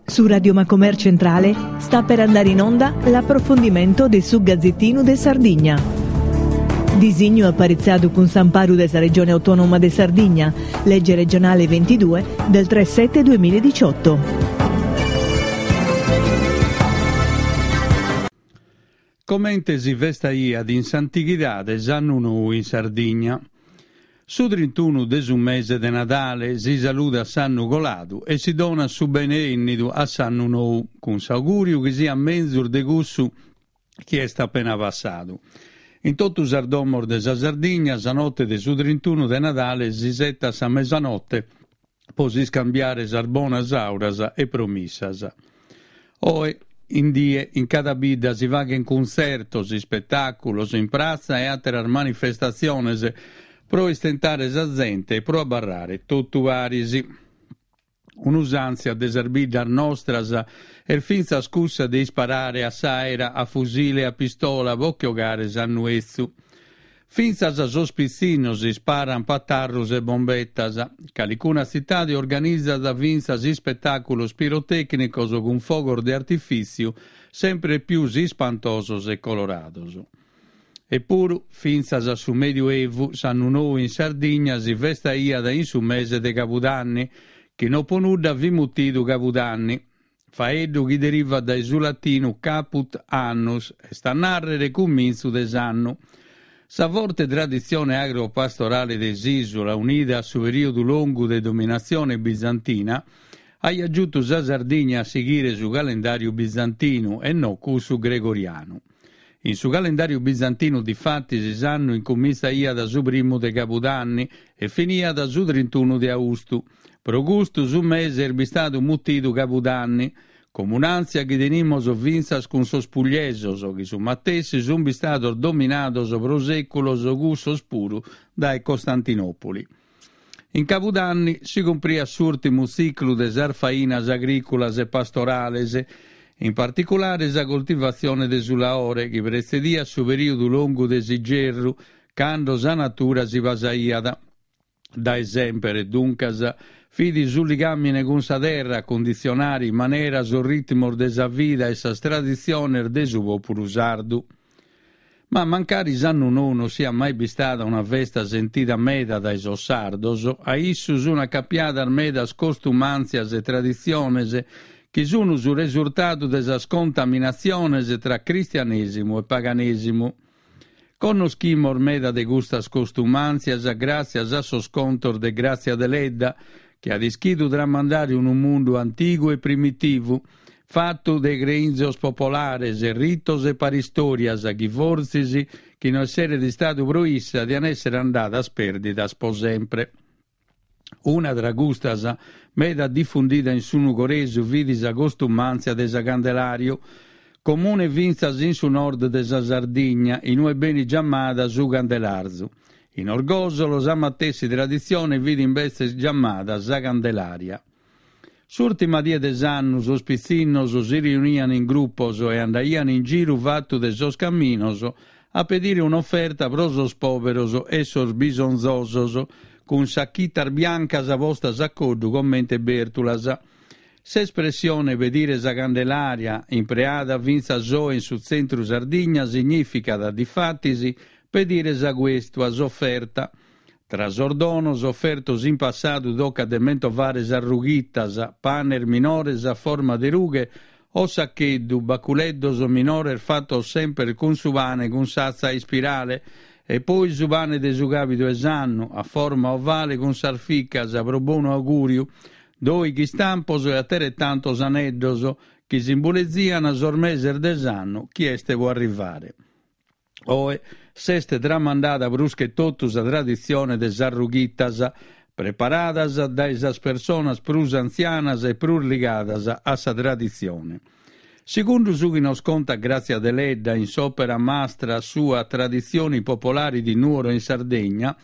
Su Radio Macomer Centrale sta per andare in onda l'approfondimento de su Gazzettinu de Sardigna. Disignu aparitzadu cun s'amparu de sa Regione Autonoma de Sardigna, legge regionale 22 del 3 7 2018. Comente si festaiat in s'antighidade s'annu nou in Sardigna. Su trintunu de su mese de Nadale si saludat s'annu coladu e si donat su bene 'ennidu a s'annu nou, cun s'augùriu chi siat menzus de cussu chi est apena passadu. In totu sas domos de sa Sardigna sa note de su trintunu de Nadale s'isettat sa mesanote po s'iscambiare sas bonas auras e promissas. Oe in die in cada bidda si faghent cuntzertos, ispetàculos in pratza e àteras manifestatziones pro istentare sa zente e pro abarrare totu paris. Un'usàntzia de sas biddas nostras est fintzas cussa de isparare a s'àera a fusile e a pistola po che 'ogare s'annu 'etzu. Fintzas sos pitzinnos isparan patarrus e bombetas. Calicuna tzitade organizat fintzas ispetàculos pirotècnicos cun fogos de artifìtziu sempre pius ispantosos e colorados. Epuru, fintzas a su Medioevu, s'annu nou in Sardigna si festaiat in su mese de Cabudanni, chi no po nudda fit mutidu Cabudanni, faeddu chi derivat dae su latinu caput annus, est a nàrrere cumintzu de s'annu. Sa forte traditzione agropastorale de s'ìsula, unida a su perìodu longu de dominatzione bizantina, aiat giutu sa Sardigna a sighire su calendàriu bizantinu e no cussu gregorianu. In su calendàriu bizantinu difatis s'annu incumintzaiat su primu de cabudanni e finiat su trintunu de austu. Pro custu su mese est bistadu mutidu cabudanni, comunàntzia chi tenimos fintzas cun sos pugliesos chi su matessi sunt bistados dominados pro sèculos cussos puru dae Costantinòpoli. In Cabudanni si cumpriat s'ùrtimu tziclu de sas fainas agrìculas e pastorales, in particulare sa coltivatzione de su laore chi pretzediat su perìodu longu de s'igerru, cando sa natura si pasaiat. Dae semper, duncas, fit su ligàmine cun sa terra a cunditzionare in manera sos ritmos de sa vida e sas traditziones de su pòpulu sardu. Ma mancari s'annu nou non siat mai bistada una festa sentida meda dae sos sardos, a issu sun acapiadas medas costumàntzias e traditziones chi sun su resurtadu de sas contaminatziones tra cristianèsimu e paganèsimu. Connoschimos meda de custas costumàntzias gràtzias a sos contos de Gràtzia Deledda, chi at ischidu tramandare unu mundu antigu e primitivu, fatu de creinzos popolares, ritos e paristòrias chi fortzis, chi no esseret istadu pro issa, dian èssere andadas pèrdidas pro sempre. Una tra custas, meda difundida in su Nugoresu, fit sa costumàntzia de sa Candelàriu, comune fintzas in su nord de sa Sardigna, in ue benit giamada su Candelarzu. In Orgòsolo sa matessi traditzione fit imbetzes giamada sa Candelaria. S'ùrtima die de s'annu sos pitzinnos si riunian in grupos e andaian in giru fatu de sos caminos a pedire un'oferta pro sos pòberos e sos bisonzosos, cun sachitas biancas postas a coddu comente bèrtulas. S'espressione pedire sa Candelaria, impreada fintzas oe in su tzentru Sardigna, signìficat, difatis, pedire sa cuèstua, s'oferta. Tra sos donos ofertos in passadu tocat de mentovare sas rughitas, panes minores a forma de rughe o sacheddu, baculeddos minores fatos semper cun su pane cun s'atza a ispirale e poi su pane de su càbidu 'e s'annu, a forma ovale cun sas ficas pro bonu augùriu, doighi istampos e ateretantos aneddos chi simbulezian sos meses de s'annu chi est pro arrivare. Oe s'est tramandada prus che totu sa traditzione de sas rughitas, preparadas dae sas personas prus antzianas e prus ligadas a sa traditzione. Segundu su chi nos contat Grazia Deledda in s'òpera mastra sua Tradizioni popolari di Nuoro in Sardegna,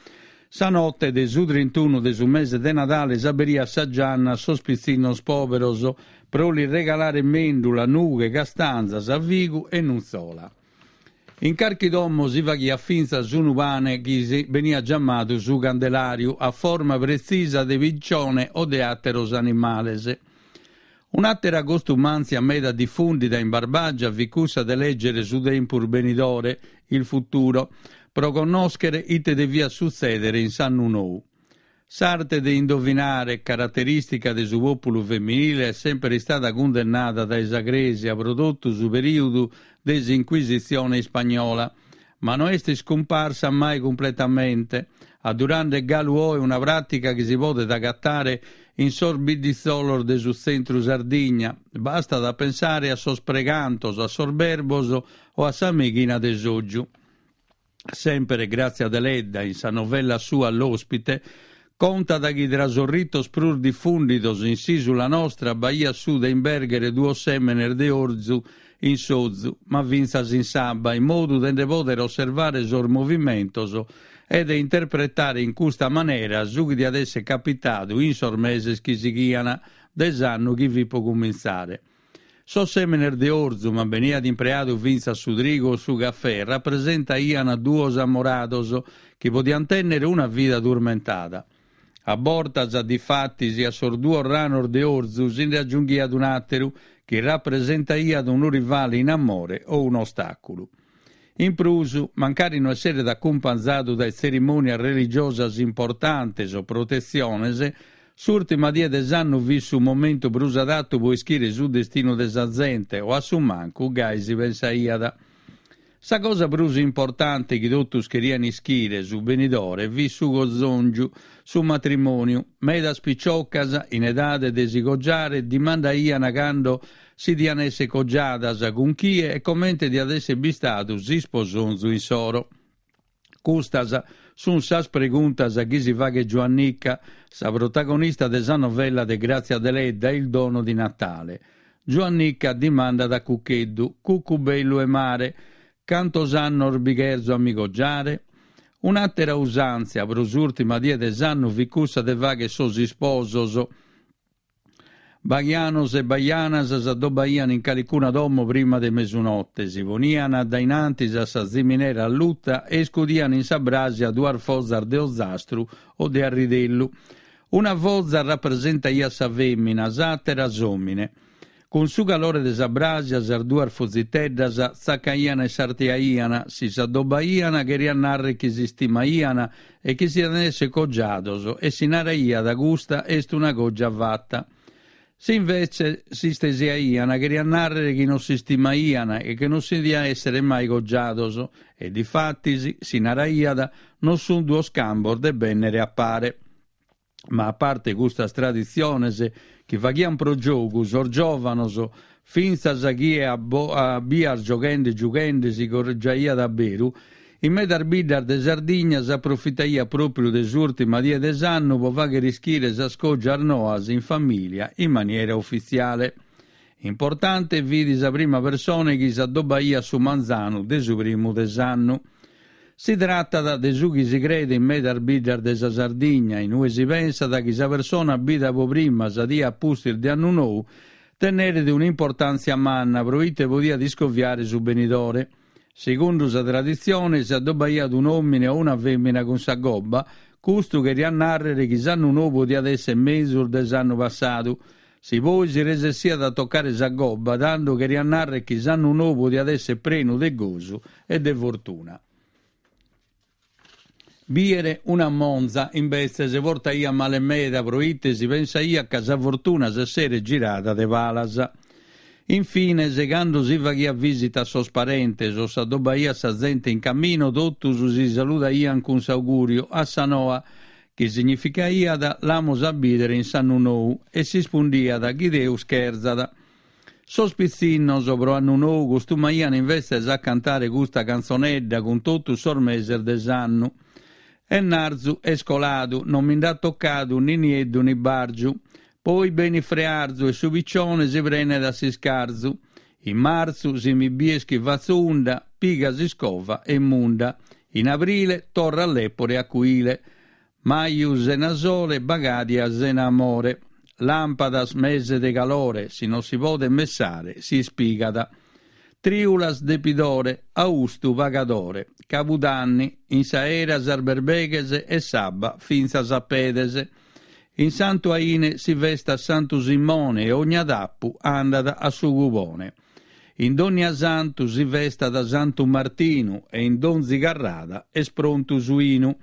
sa note de su trintunu de su mese de Nadale s'aberiat sa gianna a sos pitzinnos pòberos pro lis regalare mèndula, nughe, castanzas, figu e nutzola. In carchi domo si faghiat fintzas unu pane chi si beniat giamadu su candelàriu, a forma pretzisa de piccione o de àteros animales. Un'àtera costumàntzia meda difùndida in Barbàgia fit cussa de lègere su tempus benidore, il futuro, pro connòschere ite deviat sutzèdere in s'annu nou. S'arte de indovinare, caraterìstica de su pòpulu feminile, est semper istada cundennada dae sa Crèsia pro totu su perìudu de s'Inquisitzione ispagnola, ma no est iscumparsa mai cumpletamente, addurande galu oe una pràtica chi si podet agatare in sos bidditzolos de su tzentru Sardigna, bastat a pensare a sos pregantos, a sos berbos o a sa meighina de s'ògiu. Semper Grazia Deledda, in sa novella sua L'ospite, contat chi tra sos ritos prus difùndidos in s'ìsula nostra b'aiat su de imbèrghere duos sèmenes de orzu in s'ozu, ma fintzas in s'abba, in modu de nde pòdere osservare sos movimentos e de interpretare in custa manera su chi diat èssere capitadu in sos meses chi sighian de s'annu chi fit pro cumintzare. Sos sèmenes de orzu, ma beniat impreadu fintzas su trigu o su cafè, rapresentaian duos amorados chi podian tènnere una vida turmentada. A bortas, difatis, a sos duos ranos de orzu si nde agiunghiat un'àteru chi rapresentaiat unu rivale in amore o un'ostàculu. In prus, mancari no esseret acumpanzadu dae tzerimònias religiosas importantes o protetziones, s'ùrtima die de s'annu fit su momentu prus adatu pro ischire su destinu de sa zente o a su mancu gai si pensaiat. Sa cosa prus importante chi totus cherian ischire, su benidore, fit su cozòngiu, su matrimòniu. Medas piciocas, in edade de si cogiare, dimandaian cando si dian esser cogiadas, cun chie e comente diat esser bistadu s'isposonzu insoro. Custas sun sas preguntas chi si faghet Giuannica, sa protagonista de sa novella de Grazia Deledda Il dono di Natale. Giuannica dimandat a Cuccheddu, Cuccu bellu 'e mare, cantos annos bi cherzo a mi cogiare? Un'àtera usàntzia pro s'ùrtima die de s'annu fit cussa de fagher sos isposos. Baghianos e bajanas s'adobbaian in calicuna domo prima de mesunote, si ponian a dae in antis a sa ziminera alluta e iscudian in sa bràsia duas fozas de ozastru o de arridellu. Una foza rapresentaiat sa fèmina, s'àtera s'òmine. Cun su calore de sa bràsia sas duas foziteddas tzacaian e sartiaian, si s'adobbaian cheriat narrer chi s'istimaian e chi si dian esser cogiados e si naraiat custa est una cogia fata. Si invece s'istesiaian cheriat narrer chi non s'istimaian e chi non si dian essere mai cogiados e difatis si naraiat non sun duos cambos de bennere a pare. Ma a parte custas traditziones chi faghian pro giogu sos giòvanos, fintzas chie a a bias gioghende giughende si cogiaiat a beru, in medas biddas de Sardigna s'aprofitaiat pròpriu de s'ùrtima die de s'annu pro fàghere ischire sas cògias noas in famìlia in maniera ufitziale. Importante fit sa prima persone chi s'adobbaiat su manzanu de su primu de s'annu. Si tratat de su chi si creet in medas biddas de sa Sardigna, in ue si pensat chi sa persona bida pro prima sa die a pustis de annu nou tenneret un'importàntzia manna pro ite podiat iscoviare su benidore. Segundu sa traditzione, si adobbaiat un'òmine o una fèmina cun sa gobba, custu cheriat nàrrere chi s'annu nou podiat èssere mezus de s'annu passadu. Si poi si resessiat a tocare sa gobba, tando cheriat nàrrere chi s'annu nou podiat èssere prenu de gosu e de fortuna. Bìere una monza, imbetzes, portaiat male meda, proite si pensaiat ca sa fortuna s'esseret girada de palas. In fines, cando si faghiat visita a sos parentes o s'adobbaiat sa zente in caminu, totus si saludaian cun s'augùriu a sa noa, chi significaiat l'amus a bìdere in s'annu nou, e s'ispundiat chi Deus cherzat. Sos pitzinnos pro annu nou costumaian invetzes a cantare custa cantzonedda cun totus sos meses de s'annu. Ennarzu est coladu, non mi nd'at tocadu ni nieddu ni bàrgiu. Poi benit frearzu e su piccione si prenet a s'iscarzu. In martzu, si mi bies chi fatzo unda, piga s'iscova e munda. In abrile torra lèpore a cuile. Maju sena sole, bagadia sena amore. Làmpadas mese de calore, si non si podet messare, si ispigat. Trìulas depidore, austu pagadore. Cabudanni, in s'aera sas berbeghes e s'abba fintzas a pedes. In Santu Aine si festat Santu Simone e ogna tapu andat a su cubone. In Donniasantu si festat Santu Martinu e in donzi carrada est prontu su 'inu.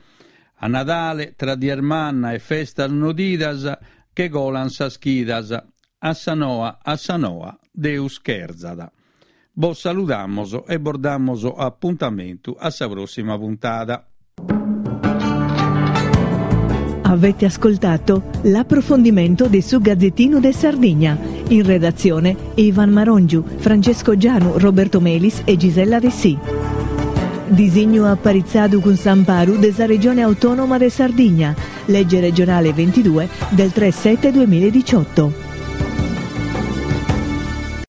A Nadale, tra dies manna e festas nodidas, che colan sas chidas. A sa noa, a sa noa, Deus cherzat. Bos saludamos e bos damos apuntamentu a sa prossima puntada. Avete ascoltato l'approfondimento di Su Gazzettinu de Sardigna. In redazione Ivan Marongiu, Francesco Gianu, Roberto Melis e Gisella Dessì. Disignu aparitzadu cun s'amparu de sa Regione Autonoma de Sardigna, legge regionale 22 del 3 7 2018.